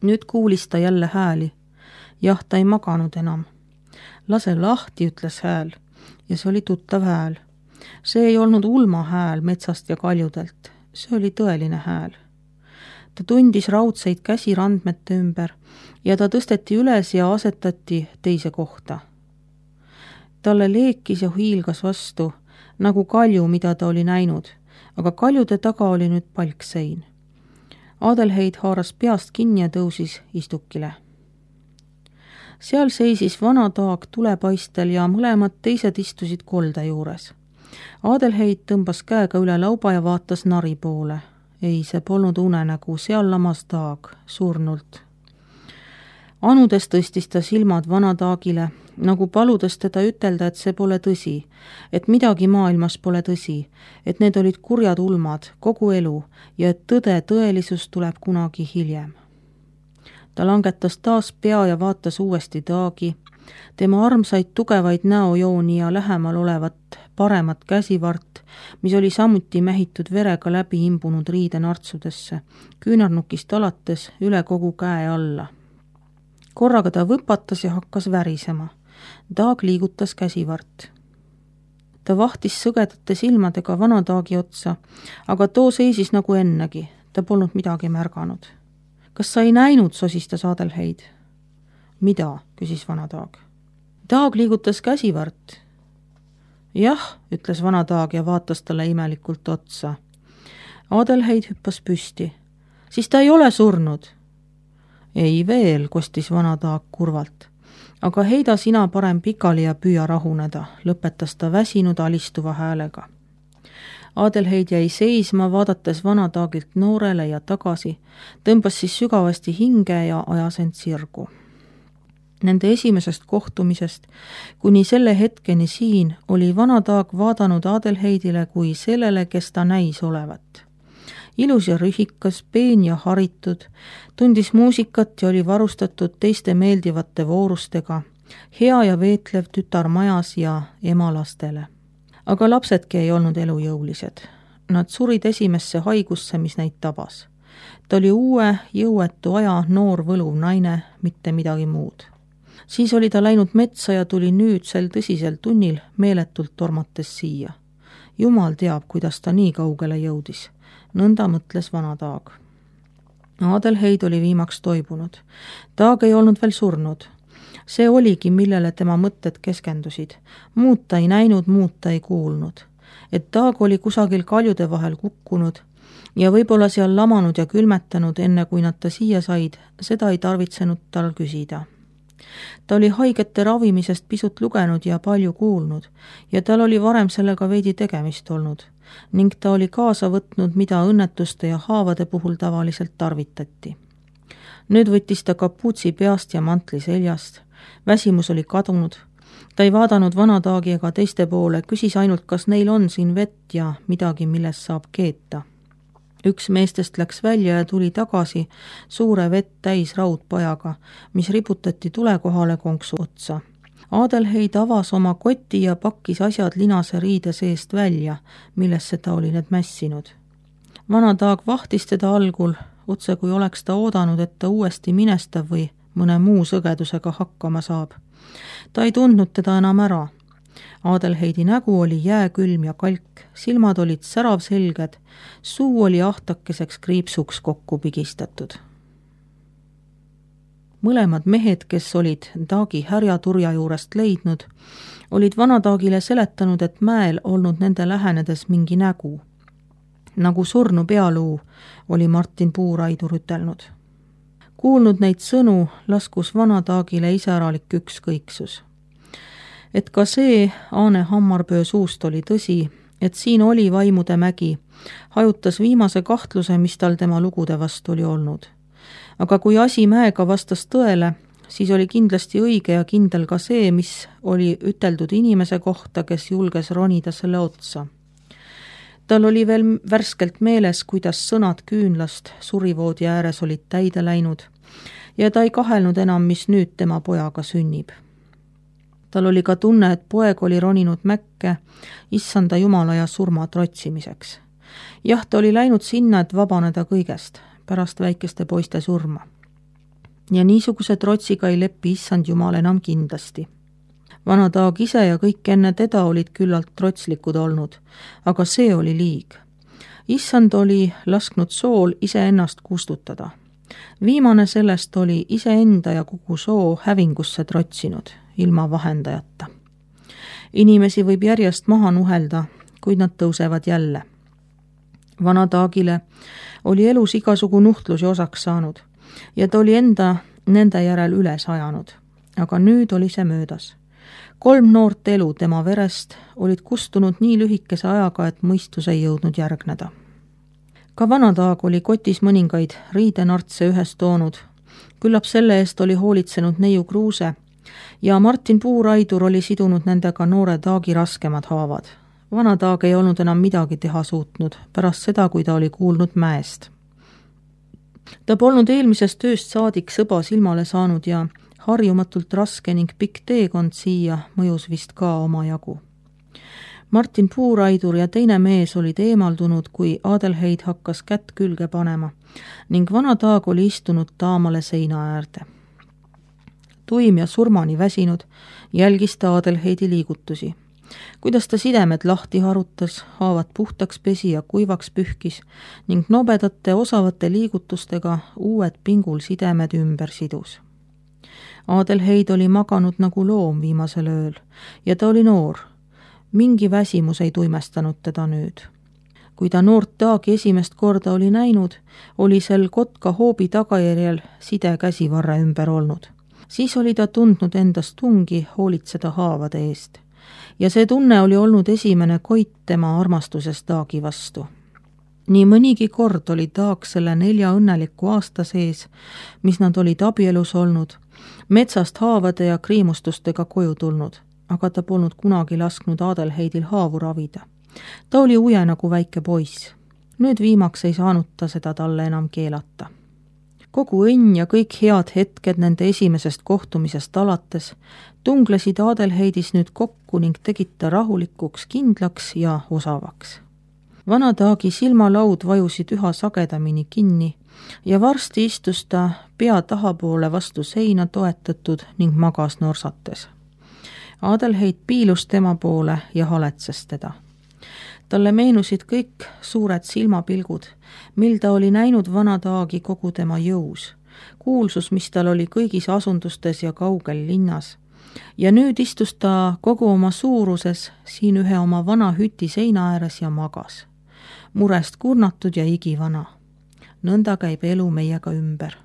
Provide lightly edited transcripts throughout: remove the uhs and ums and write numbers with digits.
Nüüd kuulis ta jälle hääli. Jah, ta ei maganud enam. Lase lahti, ütles hääl, ja see oli tuttav hääl. See ei olnud ulma hääl metsast ja kaljudelt, see oli tõeline hääl. Ta tundis raudseid käsi randmete ümber ja ta tõsteti üles ja asetati teise kohta. Talle leekis ja hiilgas vastu, nagu kalju, mida ta oli näinud, aga kaljude taga oli nüüd palksein. Adelheid haaras peast kinni ja tõusis istukile. Seal seisis vana taag tulepaistel ja mõlemad teised istusid kolde juures. Adelheid tõmbas käega üle lauba ja vaatas nari poole. Ei, see polnud unenägu, seal lamas taag, surnult. Anudes tõstis ta silmad vana taagile, nagu paludes teda ütelda, et see pole tõsi, et midagi maailmas pole tõsi, et need olid kurjad ulmad, kogu elu ja et tõelisus tuleb kunagi hiljem. Ta langetas taas pea ja vaatas uuesti taagi, tema armsaid tugevaid näojooni ja lähemal olevat paremat käsivart, mis oli samuti mähitud verega läbi imbunud riidenartsudesse, küünarnukist alates üle kogu käe alla. Korraga ta võpatas ja hakkas värisema. Taag liigutas käsivart. Ta vahtis sõgedate silmadega vana taagi otsa, aga too seisis nagu ennegi, ta polnud midagi märganud. Kas sa ei näinud, sosistas Adelheid? Mida, küsis vana taag. Taag liigutas käsivart. Jah, ütles vana taag ja vaatas talle imelikult otsa. Adelheid hüppas püsti. Siis ta ei ole surnud. Ei veel, kostis vana taag kurvalt. Aga heida sina parem pikali ja püüa rahuneda, lõpetas ta väsinud alistuva häälega. Adelheid jäi seisma, vaadates vana taagilt noorele ja tagasi, tõmbas siis sügavasti hinge ja ajas end sirgu. Nende esimesest kohtumisest kuni selle hetkeni siin oli vana taag vaadanud Adelheidile kui sellele, kes ta näis olevat. Ilus ja rühikas, peen ja haritud, tundis muusikat ja oli varustatud teiste meeldivate voorustega, hea ja veetlev tütar majas ja ema lastele. Aga lapsedki ei olnud elujõulised. Nad surid esimesse haigusse, mis neid tabas. Ta oli uue, jõuetu aja noor võluv naine, mitte midagi muud. Siis oli ta läinud metsa ja tuli nüüd sel tõsisel tunnil meeletult tormates siia. Jumal teab, kuidas ta nii kaugele jõudis. Nõnda mõtles vana taag. Adelheid oli viimaks toibunud. Taag ei olnud veel surnud. See oligi, millele tema mõtted keskendusid. Muud ta ei näinud, muud ta ei kuulnud. Et taag oli kusagil kaljude vahel kukkunud ja võib-olla seal lamanud ja külmetanud, enne kui nad ta siia said, seda ei tarvitsenud tal küsida. Ta oli haigete ravimisest pisut lugenud ja palju kuulnud ja tal oli varem sellega veidi tegemist olnud ning ta oli kaasa võtnud, mida õnnetuste ja haavade puhul tavaliselt tarvitati. Nüüd võttis ta kapuutsi peast ja mantli seljast. Väsimus oli kadunud. Ta ei vaadanud vana taagi ega teiste poole, küsis ainult, kas neil on siin vett ja midagi, millest saab keeta. Üks meestest läks välja ja tuli tagasi suure vett täis raudpajaga, mis riputati tulekohale konksu otsa. Adelheid avas oma koti ja pakkis asjad linase riide seest välja, millesse ta oli need mässinud. Vana taag vahtis teda algul, otse kui oleks ta oodanud, et ta uuesti minestab või mõne muu sõgedusega hakkama saab. Ta ei tundnud teda enam ära. Adelheidi nägu oli jääkülm ja kalk, silmad olid säravselged, suu oli ahtakeseks kriipsuks kokku pigistatud. Mõlemad mehed, kes olid taagi härjaturja juurest leidnud, olid vana taagile seletanud, et mäel olnud nende lähenedes mingi nägu. Nagu surnu pealuu, oli Martin Puuraidur ütelnud. Kuulnud neid sõnu, laskus vana taagile iseäralik ükskõiksus. Et ka see Aane Hammarpöö suust oli tõsi, et siin oli vaimude mägi, hajutas viimase kahtluse, mis tal tema lugude vastu oli olnud. Aga kui asi mäega vastas tõele, siis oli kindlasti õige ja kindel ka see, mis oli üteldud inimese kohta, kes julges ronida selle otsa. Tal oli veel värskelt meeles, kuidas sõnad küünlast surivoodi ääres olid täide läinud ja ta ei kahelnud enam, mis nüüd tema pojaga sünnib. Tal oli ka tunne, et poeg oli roninud mäkke issanda jumala ja surma trotsimiseks. Jah, ta oli läinud sinna, et vabaneda kõigest, pärast väikeste poiste surma. ja niisuguse trotsiga ei leppi issand jumal enam kindlasti. Vana Taag ise ja kõik enne teda olid küllalt trotslikud olnud, aga see oli liig. Issand oli lasknud sool iseennast kustutada. Viimane sellest oli iseenda ja kogu soo hävingusse trotsinud, ilma vahendajata. Inimesi võib järjest maha nuhelda, kuid nad tõusevad jälle. Vana Taagile oli elus igasugu nuhtlusi osaks saanud ja ta oli nende järel üles ajanud, aga nüüd oli see möödas. 3 noort elu tema verest olid kustunud nii lühikese ajaga, et mõistus ei jõudnud järgneda. Ka Vana Taag oli kotis mõningaid riidenartse ühes toonud, küllap selle eest oli hoolitsenud neiu Kruuse ja Martin Puuraidur oli sidunud nendega noore Taagi raskemad haavad. Vana Taag ei olnud enam midagi teha suutnud pärast seda, kui ta oli kuulnud mäest. Ta polnud eelmisest ööst saadik sõba silmale saanud ja harjumatult raske ning pikk teekond siia mõjus vist ka omajagu. Martin Puuraidur ja teine mees olid eemaldunud, kui Adelheid hakkas kätt külge panema ning Vana Taag oli istunud taamale seina äärde. Tuim ja surmani väsinud, jälgis ta Adelheidi liigutusi. Kuidas ta sidemed lahti harutas, haavad puhtaks pesi ja kuivaks pühkis ning nobedate osavate liigutustega uued pingul sidemed ümber sidus. Adelheid oli maganud nagu loom viimasel ööl ja ta oli noor. Mingi väsimus ei tuimestanud teda nüüd. Kui ta noort Taagi esimest korda oli näinud, oli sel kotka hoobi tagajärjel side käsivarre ümber olnud. Siis oli ta tundnud endast tungi hoolitseda haavade eest. Ja see tunne oli olnud esimene koit tema armastusest Taagi vastu. Nii mõnigi kord oli Taag selle 4 õnneliku aasta sees, mis nad olid abielus olnud, metsast haavade ja kriimustustega koju tulnud, aga ta polnud kunagi lasknud Adelheidil haavu ravida. Ta oli uje nagu väike poiss. Nüüd viimaks ei saanud ta seda talle enam keelata. Kogu õnn ja kõik head hetked nende esimesest kohtumisest alates tunglesid Adelheidis nüüd kokku ning tegid ta rahulikuks, kindlaks ja osavaks. Vana Taagi silmalaud vajusid üha sagedamini kinni ja varsti istus ta pea tahapoole vastu seina toetatud ning magas norsates. Adelheid piilus tema poole ja haletses teda. Talle meenusid kõik suured silmapilgud, mil ta oli näinud Vana Taagi kogu tema jõus, kuulsus, mis tal oli kõigis asundustes ja kaugel linnas. Ja nüüd istus ta kogu oma suuruses siin ühe oma vana hüti seina ääres ja magas. Murest kurnatud ja igivana. Nõnda käib elu meiega ümber.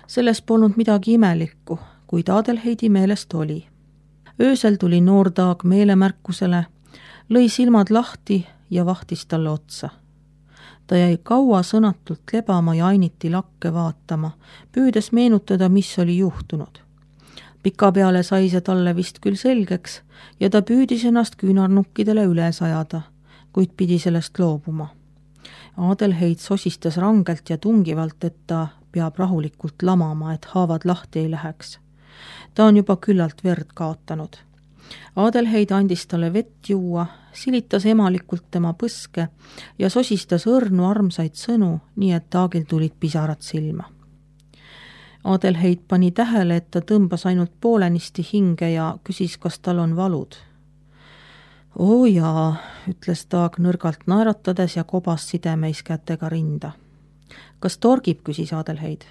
Selles polnud midagi imelikku, kuid Adelheidi meelest oli. Öösel tuli noor Taag meelemärkusele, lõi silmad lahti ja vahtis talle otsa. Ta jäi kaua sõnatult lebama ja ainiti lakke vaatama, püüdes meenutada, mis oli juhtunud. Pikapeale sai see talle vist küll selgeks ja ta püüdis ennast küünarnukkidele üle sajada, kuid pidi sellest loobuma. Adelheid sosistas rangelt ja tungivalt, et ta peab rahulikult lamama, et haavad lahti ei läheks. Ta on juba küllalt verd kaotanud. Adelheid andis talle vett juua, silitas emalikult tema põske ja sosistas õrnu armsaid sõnu, nii et Taagil tulid pisarad silma. Adelheid pani tähele, et ta tõmbas ainult poolenisti hinge ja küsis, kas tal on valud. Oo jaa, ütles Taag nõrgalt naeratades ja kobas sidemeis kätega rinda. Kas torgib, küsis Adelheid.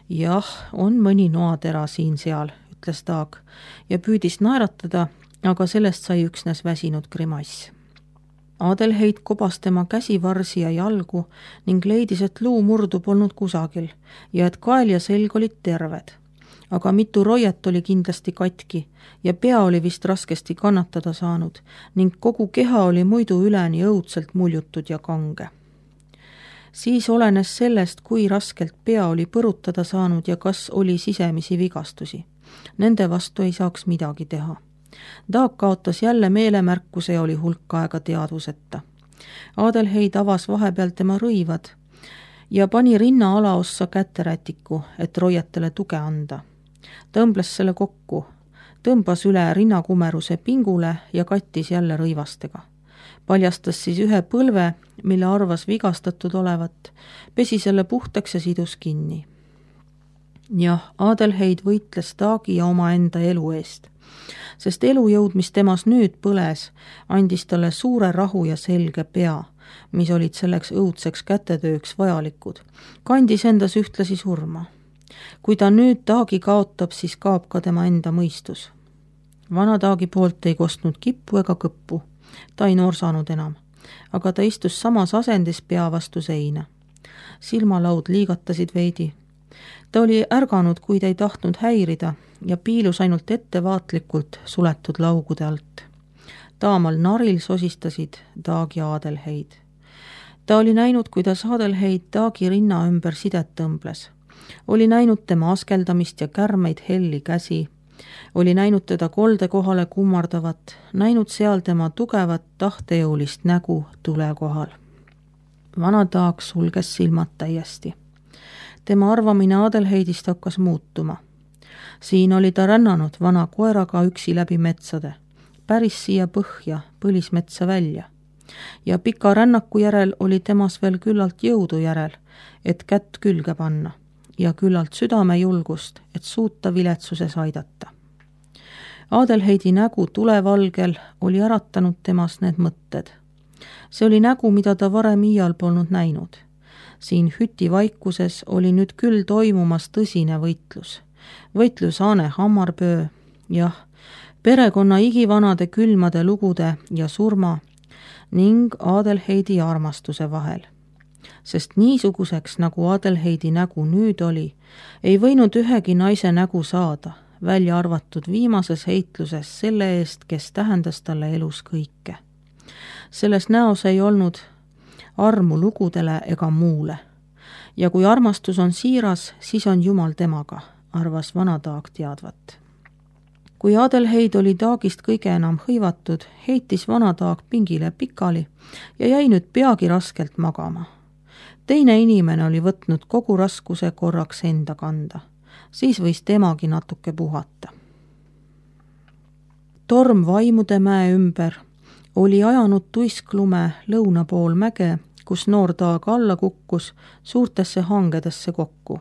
Jah, on mõni noatera siin-seal, ütles Taag ja püüdis naeratada, aga sellest sai üksnes väsinud grimass. Adelheid kobas tema käsivarsi ja jalgu ning leidis, et luumurdu polnud kusagil ja et kael ja selg olid terved. Aga mitu roiet oli kindlasti katki ja pea oli vist raskesti kannatada saanud ning kogu keha oli muidu üleni õudselt muljutud ja kange. Siis olenes sellest, kui raskelt pea oli põrutada saanud ja kas oli sisemisi vigastusi. Nende vastu ei saaks midagi teha. Taag kaotas jälle meelemärkuse ja oli hulk aega teadvuseta. Adelheid avas vahepeal tema rõivad ja pani rinna alaossa käterätiku, et roietele tuge anda. Tõmbles selle kokku, tõmbas üle rinnakumeruse pingule ja kattis jälle rõivastega. Paljastas siis ühe põlve, mille arvas vigastatud olevat, pesi selle puhtaks ja sidus kinni. jah, Adelheid võitles Taagi ja omaenda elu eest, sest elujõud, mis temas nüüd põles, andis talle suure rahu ja selge pea, mis olid selleks õudseks kätetööks vajalikud, kandis endas ühtlasi surma. Kui ta nüüd Taagi kaotab, siis kaob ka tema enda mõistus. Vana Taagi poolt ei kostnud kippu ega kõppu, ta ei noorsanud enam, aga ta istus samas asendis pea vastu seina. Silmalaud liigatasid veidi. Ta oli ärganud, kuid ei tahtnud häirida ja piilus ainult ettevaatlikult suletud laugude alt. Taamal naril sosistasid Taag ja Adelheid. Ta oli näinud, kuidas Adelheid Taagi rinna ümber sidet tõmbles. Oli näinud tema askeldamist ja kärmeid helli käsi. Oli näinud teda kolde kohale kummardavat, näinud seal tema tugevat tahtejõulist nägu tule kohal. Vana Taag sulges silmad täiesti. Tema arvamine Adelheidist hakkas muutuma. Siin oli ta rännanud vana koeraga üksi läbi metsade, päris siia põhja, põlismetsa välja. Ja pika rännaku järel oli temas veel küllalt jõudu järel, et kätt külge panna ja küllalt südamejulgust, et suuta viletsuses aidata. Adelheidi nägu tulevalgel oli äratanud temas need mõtted. See oli nägu, mida ta varem iial polnud näinud. Siin hüti vaikuses oli nüüd küll toimumas tõsine võitlus. Võitlus Aane Hammarpöö, jah, perekonna igivanade külmade lugude ja surma ning Adelheidi armastuse vahel. Sest niisuguseks, nagu Adelheidi nägu nüüd oli, ei võinud ühegi naise nägu saada, välja arvatud viimases heitluses selle eest, kes tähendas talle elus kõike. Selles näos ei olnud armu lugudele ega muule. Ja kui armastus on siiras, siis on Jumal temaga, arvas vana Taag teadvat. Kui Adelheid oli Taagist kõige enam hõivatud, heitis vana Taag pingile pikali ja jäi nüüd peagi raskelt magama. Teine inimene oli võtnud kogu raskuse korraks enda kanda. Siis võis temagi natuke puhata. Torm Vaimude mäe ümber oli ajanud tuisklume lõuna pool mäge, kus noor Taag alla kukkus suurtesse hangedesse kokku.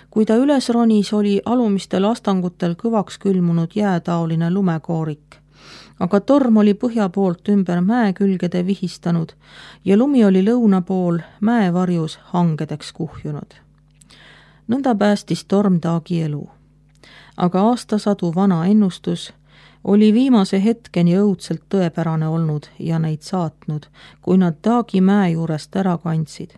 Kui ta üles ronis, oli alumistel astangutel kõvaks külmunud jäätaoline lumekoorik, aga torm oli põhja poolt ümber mäe külgede vihistanud ja lumi oli lõuna pool mäevarjus hangedeks kuhjunud. Nõnda päästis torm Taagi elu. Aga aastasadu vana ennustus oli viimase hetkeni õudselt tõepärane olnud ja neid saatnud, kui nad Taagi mäe juurest ära kandsid.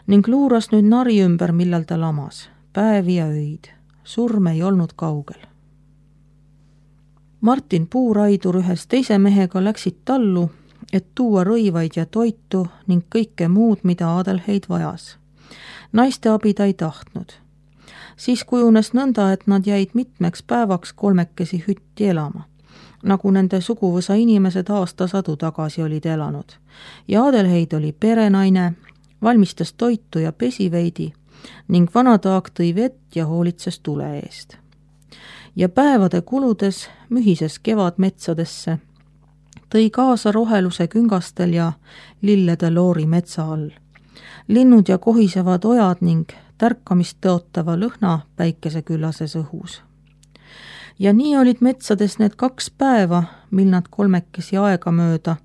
Ning luuras nüüd nari ümber, millal ta lamas, päevi ja öid. Surm ei olnud kaugel. Martin Puuraidur ühes teise mehega läksid tallu, et tuua rõivaid ja toitu ning kõike muud, mida Adelheid vajas. Naiste abi ta ei tahtnud. Siis kujunes nõnda, et nad jäid mitmeks päevaks kolmekesi hütti elama, nagu nende suguvõsa inimesed aastasadu tagasi olid elanud. Ja Adelheid oli perenaine, valmistas toitu ja pesi veidi ning vana Taag tõi vett ja hoolitses tule eest. Ja päevade kuludes mühises kevadmetsadesse, tõi kaasa roheluse küngastel ja lillede loori metsa all. Linnud ja kohisevad ojad ning tärkamist tõotava lõhna päikeseküllases õhus. Ja nii olid metsades need 2 päeva, mil nad kolmekesi aega mööda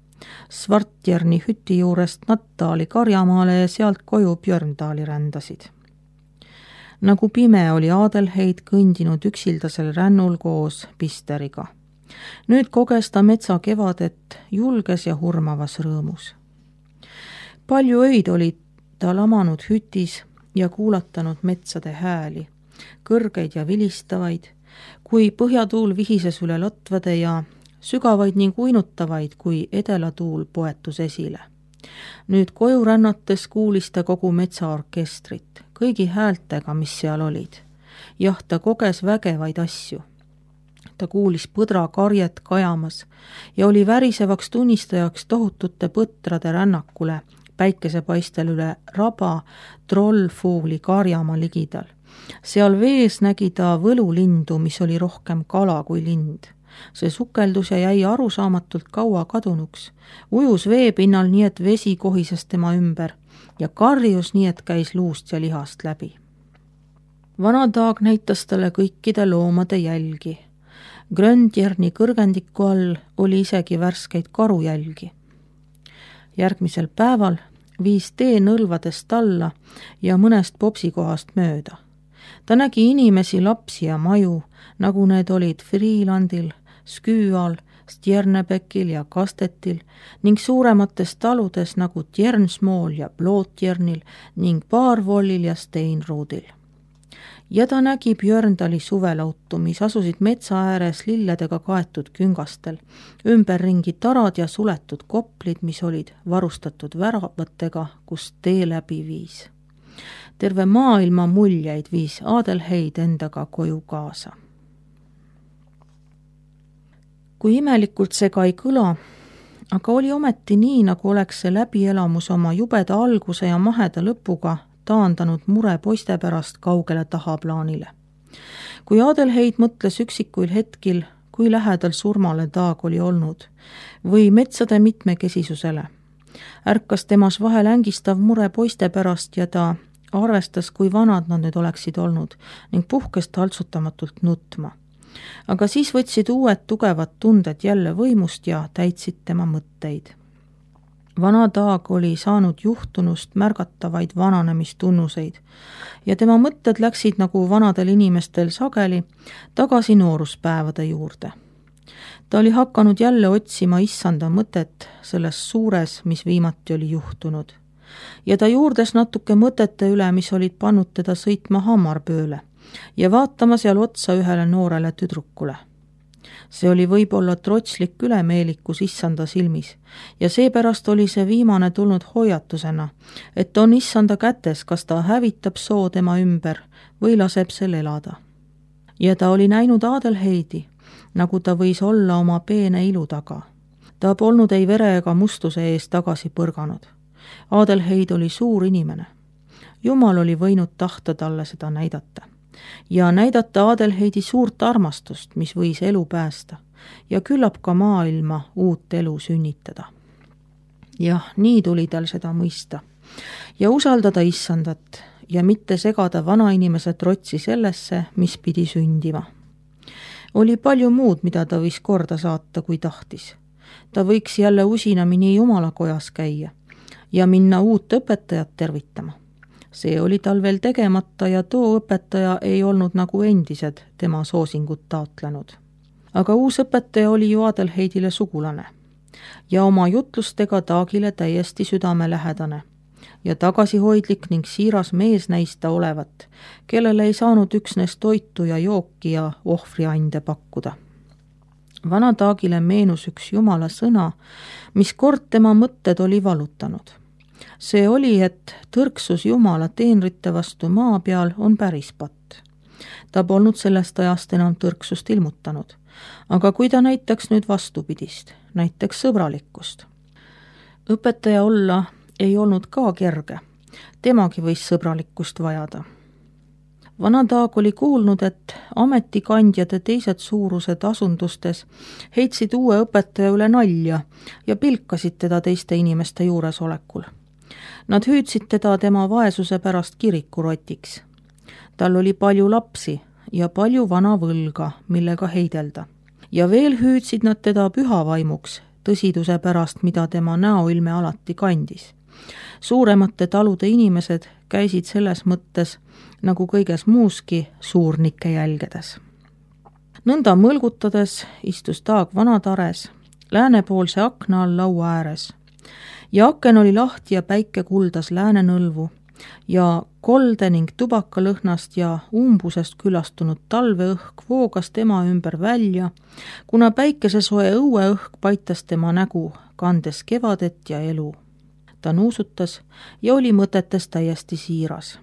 Svartjerni hüti juurest Nattaali Karjamaale ja sealt koju Björndaali rändasid. Nagu pime oli Adelheid kõndinud üksildasel rännul koos Pisteriga. Nüüd koges ta metsa kevadet julges ja hurmavas rõõmus. Palju öid oli ta lamanud hütis ja kuulatanud metsade hääli, kõrgeid ja vilistavaid, kui põhjatuul vihises üle lotvade ja sügavaid ning uinutavaid, kui edelatuul poetus esile. Nüüd koju rännates kuulis ta kogu metsaorkestrit, kõigi häältega, mis seal olid. Jah, ta koges vägevaid asju. Ta kuulis põdra karjet kajamas ja oli värisevaks tunnistajaks tohutute põtrade rännakule, päikesepaistel üle raba trollfuuli Karjamaa ligidal. Seal vees nägi ta võlulindu, mis oli rohkem kala kui lind. See sukeldus ja jäi arusaamatult kaua kadunuks. Ujus veepinnal nii, et vesi kohises tema ümber ja karjus nii, et käis luust ja lihast läbi. Vana Taag näitas talle kõikide loomade jälgi. Gröndjerni kõrgendiku all oli isegi värskeid karujälgi. Järgmisel päeval viis tee nõlvadest alla ja mõnest popsikohast mööda. Ta nägi inimesi, lapsi ja maju, nagu need olid Freelandil, Sküüal, Stjernebekil ja Kastetil ning suuremates taludes nagu Tjernsmool ja Plootjernil ning Baarvollil ja Steinruudil. Ja ta nägi Björndali suvelautu, mis asusid metsa ääres lilledega kaetud küngastel, ümberringi tarad ja suletud koplid, mis olid varustatud väravatega, kus tee läbi viis. Terve maailma muljeid viis Adelheid endaga koju kaasa. Kui imelikult see ka ei kõla, aga oli ometi nii, nagu oleks see läbielamus oma jubeda alguse ja maheda lõpuga taandanud mure poiste pärast kaugele tahaplaanile. Kui Adelheid mõtles üksikuil hetkil, kui lähedal surmale Taag oli olnud, või metsade mitmekesisusele, ärkas temas vahel ängistav mure poiste pärast ja ta arvestas, kui vanad nad nüüd oleksid olnud ning puhkes taltsutamatult nutma. Aga siis võtsid uued tugevad tunded jälle võimust ja täitsid tema mõtteid. Vana Taag oli saanud juhtunust märgatavaid vananemistunnuseid ja tema mõtted läksid nagu vanadel inimestel sageli tagasi nooruspäevade juurde. Ta oli hakanud jälle otsima issanda mõtet selles suures, mis viimati oli juhtunud. Ja ta juurdes natuke mõtete üle, mis olid pannud teda sõitma Hammarbööle ja vaatama seal otsa ühele noorele tüdrukule. See oli võib-olla trotslik ülemeelikus issanda silmis ja seepärast oli see viimane tulnud hoiatusena, et on issanda kätes, kas ta hävitab soo tema ümber või laseb sel elada. Ja ta oli näinud Adelheidi, nagu ta võis olla oma peene ilu taga. Ta polnud ei vere ega mustuse ees tagasi põrganud. Adelheid oli suur inimene. Jumal oli võinud tahta talle seda näidata. Ja näidata Adelheidi suurt armastust, mis võis elu päästa ja küllap ka maailma uut elu sünnitada. Jah, nii tuli tal seda mõista ja usaldada issandat ja mitte segada vanainimese trotsi sellesse, mis pidi sündima. Oli palju muud, mida ta võis korda saata, kui tahtis. Ta võiks jälle usinamini jumalakojas käia ja minna uut õpetajat tervitama. See oli tal veel tegemata ja too õpetaja ei olnud nagu endised tema soosingut taotlenud. Aga uus õpetaja oli ju Adelheidile sugulane ja oma jutlustega Taagile täiesti südamelähedane ja tagasihoidlik ning siiras mees näista olevat, kellele ei saanud üksnes toitu ja jooki ja ohvriande pakkuda. Vana Taagile meenus üks jumala sõna, mis kord tema mõtted oli valutanud. See oli, et tõrksus jumala teenrite vastu maa peal on päris patt. Ta polnud sellest ajast enam tõrksust ilmutanud, aga kui ta näitaks nüüd vastupidist, näiteks sõbralikkust. Õpetaja olla ei olnud ka kerge, temagi võis sõbralikkust vajada. Vana Taag oli kuulnud, et ametikandjade teised suurused asundustes heitsid uue õpetaja üle nalja ja pilkasid teda teiste inimeste juuresolekul. Nad hüüdsid teda tema vaesuse pärast kirikurotiks. Tal oli palju lapsi ja palju vana võlga, millega heidelda. Ja veel hüüdsid nad teda pühavaimuks, tõsiduse pärast, mida tema näoilme alati kandis. Suuremate talude inimesed käisid selles mõttes, nagu kõiges muuski, suurnikke jälgedes. Nõnda mõlgutades istus Taag vanatares, läänepoolse akna all laua ääres. Ja aken oli lahti ja päike kuldas läänenõlvu ja kolde ning tubakalõhnast ja umbusest külastunud talveõhk voogas tema ümber välja, kuna päikesesoe õueõhk paitas tema nägu, kandes kevadet ja elu. Ta nuusutas ja oli mõtetes täiesti siiras.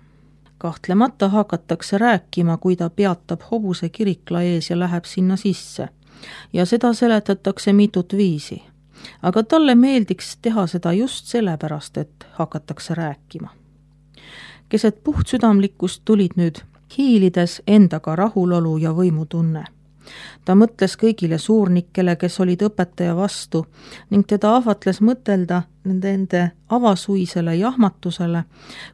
Kahtlemata hakatakse rääkima, kui ta peatab hobuse kirikla ees ja läheb sinna sisse. Ja seda seletatakse mitut viisi. Aga talle meeldiks teha seda just sellepärast, et hakatakse rääkima. Keset puhtsüdamlikkust tulid nüüd hiilides endaga rahulolu ja võimutunne. Ta mõtles kõigile suurnikele, kes olid õpetaja vastu, ning teda ahvatles mõtelda nende avasuisele jahmatusele,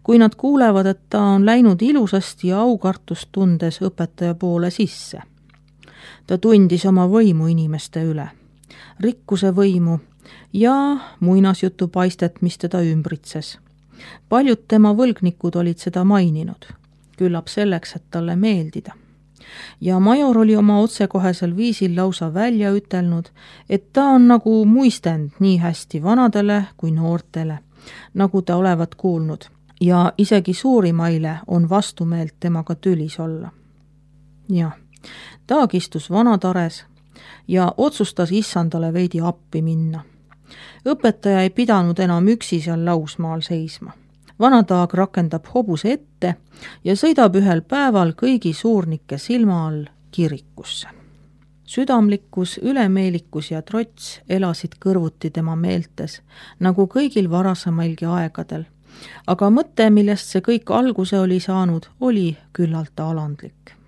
kui nad kuulevad, et ta on läinud ilusasti ja aukartust tundes õpetaja poole sisse. Ta tundis oma võimu inimeste üle, rikkuse võimu ja muinasjutu paistet, mis teda ümbritses. Paljud tema võlgnikud olid seda maininud, küllap selleks, et talle meeldida. Ja major oli oma otsekohesel viisil lausa välja ütelnud, et ta on nagu muistend nii hästi vanadele kui noortele, nagu ta olevat kuulnud, ja isegi suurimaile on vastumeelt temaga tülis olla. Ja Taag istus vanatares ja otsustas issandale veidi appi minna. Õpetaja ei pidanud enam üksi seal lausmaal seisma. Vanataag rakendab hobuse ette ja sõidab ühel päeval kõigi suurnike silma all kirikusse. Südamlikkus, ülemeelikus ja trots elasid kõrvuti tema meeltes, nagu kõigil varasemailgi aegadel, aga mõte, millest see kõik alguse oli saanud, oli küllalt alandlik.